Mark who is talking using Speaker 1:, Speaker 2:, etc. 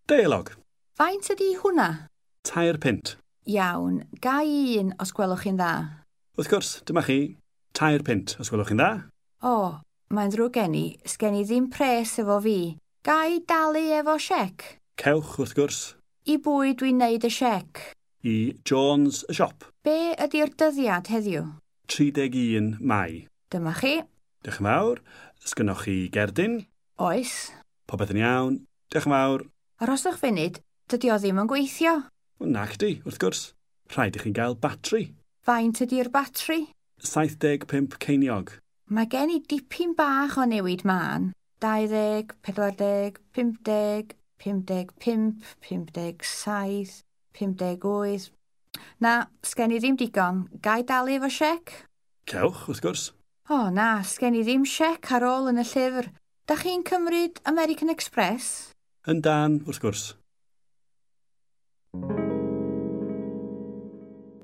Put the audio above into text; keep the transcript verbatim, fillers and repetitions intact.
Speaker 1: Deialog.
Speaker 2: Faint ydy hwnna?
Speaker 1: Tair punt.
Speaker 2: Iawn, ga i un os gwelwch chi'n dda.
Speaker 1: Wrth gwrs, dyma chi. Tair punt, os gwelwch chi'n dda.
Speaker 2: O, mae'n ddrwg gen i, sgen i ddim pres efo fi. Ga i dalu efo siec?
Speaker 1: Cewch, wrth gwrs.
Speaker 2: I bwy dwi'n neud y siec?
Speaker 1: I Jones y siop.
Speaker 2: Be ydy'r dyddiad heddiw?
Speaker 1: tri deg un Mai.
Speaker 2: Dyma chi.
Speaker 1: Diolch yn fawr. Sgynnoch chi gerdyn?
Speaker 2: Oes.
Speaker 1: Popeth yn iawn. Diolch yn fawr.
Speaker 2: Arhoswch funud, dydy o ddim yn gweithio.
Speaker 1: O, nacdi, wrth gwrs. Rhaid i chi gael batri.
Speaker 2: Faint ydy'r batri?
Speaker 1: saith deg pump ceiniog.
Speaker 2: Mae gen i dipyn bach o newid mân. dau ddeg, pedwar deg, pump deg, pump deg pump, pump deg saith, pump deg wyth. Na, sgen i ddim digon. Ga i dalu efo siec?
Speaker 1: Cewch, wrth gwrs.
Speaker 2: O, na, sgen i ddim siec ar ôl yn y llyfr. Da chi'n cymryd American Express?
Speaker 1: Yndan, wrth gwrs.